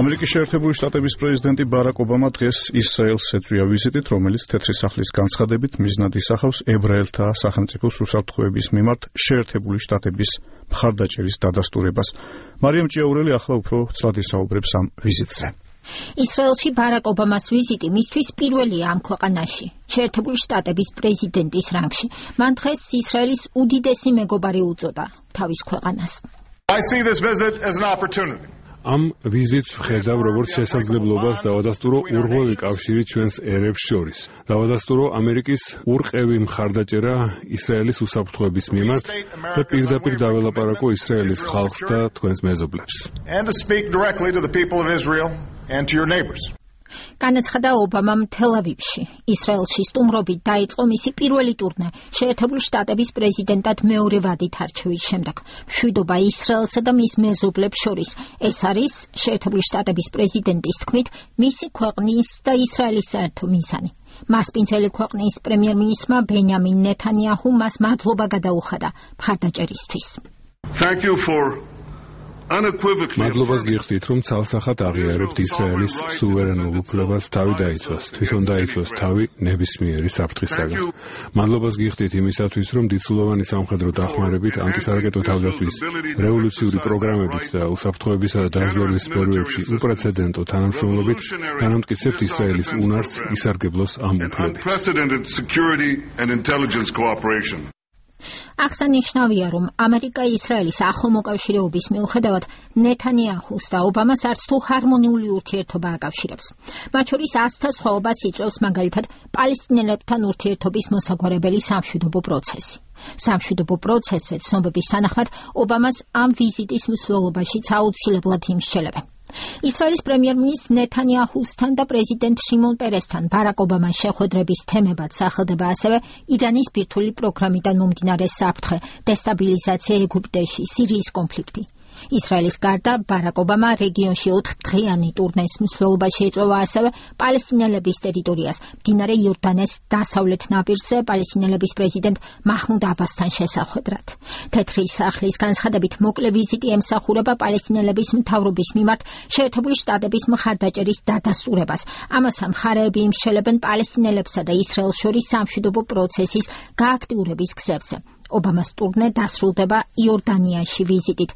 ამერიკის შეერთებული შტატების პრეზიდენტი ბარაკ ობამა დღეს ისრაელს ეწვია ვიზიტით, რომელიც თეთრი სახლის განცხადებით მიზნად ისახავს ებრაელთა სახელმწიფოს უსაფრთხოების მიმართ შეერთებული შტატების მხარდაჭერის დადასტურებას. მარიამ ჭიაურელი ახლა უფრო ცლად ისაუბრებს ამ ვიზიტზე. ისრაელში ბარაკ ობამას ვიზიტი მისთვის პირველია ამ ქვეყანაში, შეერთებული შტატების პრეზიდენტის რანგში. მან დღეს ისრაელის უდიდესი მეგობარი უწოდა თავის ქვეყანას. ამ ვიზიტს ვხედავ როგორც შესაძლებლობას დავადასტურო ურღვევი კავშირი ჩვენს ერებს შორის. დავადასტურო ამერიკის ურყევი მხარდაჭერა ისრაელის უსაფრთხოების მიმართ და პირდაპირ დაველაპარაკო ისრაელის ხალხს და თქვენს მეზობლებს. განაცხადა ობამამ თელ-ავივში. ისრაელში სტუმრობით დაიწყო მისი პირველი ტურნე შეერთებული შტატების პრეზიდენტად მეორე ვადით არჩევის შემდეგ. მშვიდობა ისრაელსა და მის მეზობლებს შორის. ეს არის შეერთებული შტატების პრეზიდენტის თქმით მისი ქვეყნის და ისრაელის საერთო მიზანი. მასპინძელი ქვეყნის პრემიერ-მინისტრმა ბენიამინ ნეთანიაჰუ მას მადლობა გადაუხადა მხარდაჭერისთვის. მადლობას გიხდით, რომ ცალსახად აღიარებთ ისრაელის სუვერენულ უფლებას თავი დაიცვას, თვითონ დაიცვას თავი ნებისმიერი საფრთხისაგან. მადლობას გიხდით იმისათვის, რომ დიდწლოვანი სამხედრო დახმარებით, ანტისარაკეტო თავდაცვის რევოლუციური პროგრამებით და უსაფრთხოებისა და დაზვერვის სფეროებში უპრეცედენტო თანამშრომლობით განამტკიცებთ ისრაელის უნარს ისარგებლოს ამ უფლებით. აღსანიშნავია, რომ ამერიკა-ისრაელის ახლო მოკავშირეობის მიუხედავად ნეთანიაჰუს და ობამას არც თუ ჰარმონიული ურთიერთობა აკავშირებს. მათ შორის აზრთა სხვაობას იწვევს მაგალითად პალესტინელებთან ურთიერთობის მოსაგვარებელი სამშვიდობო პროცესი. სამშვიდობო პროცესზე ცნობების თანახმად ობამას ამ ვიზიტის მსვლელობაშიც აუცილებლად იმსჯელებენ. ისრაელის პრემიერ-მინისტრ ნეთანიაჰუსთან და პრეზიდენტ შიმონ პერესთან ბარაკ ობამას შეხვედრების თემებად სახელდება ასევე ირანის ბირთვული პროგრამიდან მომდინარე საფრთხე, დესტაბილიზაცია ეგვიპტეში, სირიის კონფლიქტი. ისრაელის გარდა ბარაკ ობამა რეგიონში 4-დღიანი ტურნეს მსვლელობაში ეწევა ასევე პალესტინელების ტერიტორიას, მდინარე იორდანეს დასავლეთ ნაპირზე პალესტინელების პრეზიდენტ მაჰმუდ აბასთან შესახვედრად. თეთრი სახლის განცხადებით მოკლე ვიზიტი ემსახურება პალესტინელების მთავრობის მიმართ შეერთებული შტატების მხარდაჭერის დადასტურებას. ამას მხარეები იმსჯელებენ პალესტინელებსა და ისრაელს შორის სამშვიდობო პროცესის გააქტიურების გზებზე. ობამას ტურნე დასრულდება იორდანიაში ვიზიტით.